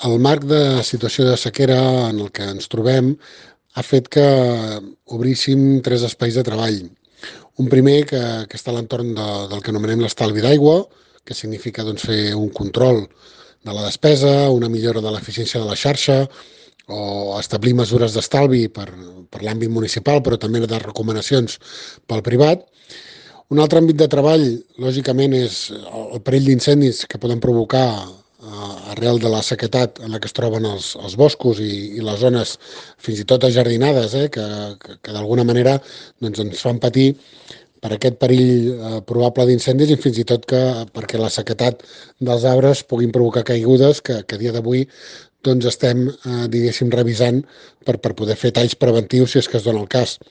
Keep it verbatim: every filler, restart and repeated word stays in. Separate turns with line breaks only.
El marc de situació de sequera en el que ens trobem ha fet que obríssim tres espais de treball. Un primer que, que està a l'entorn de, del que anomenem l'estalvi d'aigua, que significa doncs, fer un control de la despesa, una millora de l'eficiència de la xarxa o establir mesures d'estalvi per, per l'àmbit municipal, però també de recomanacions pel privat. Un altre àmbit de treball, lògicament, és el perill d'incendis que poden provocar eh, arrel de la sequedat en la que es troben els, els boscos i, i les zones fins i tot ajardinades, eh, que, que, que d'alguna manera doncs, ens fan patir per aquest perill eh, probable d'incendis i fins i tot que perquè la sequedat dels arbres puguin provocar caigudes que, que a dia d'avui doncs estem, eh, diguéssim, revisant per, per poder fer talls preventius si és que es dona el cas.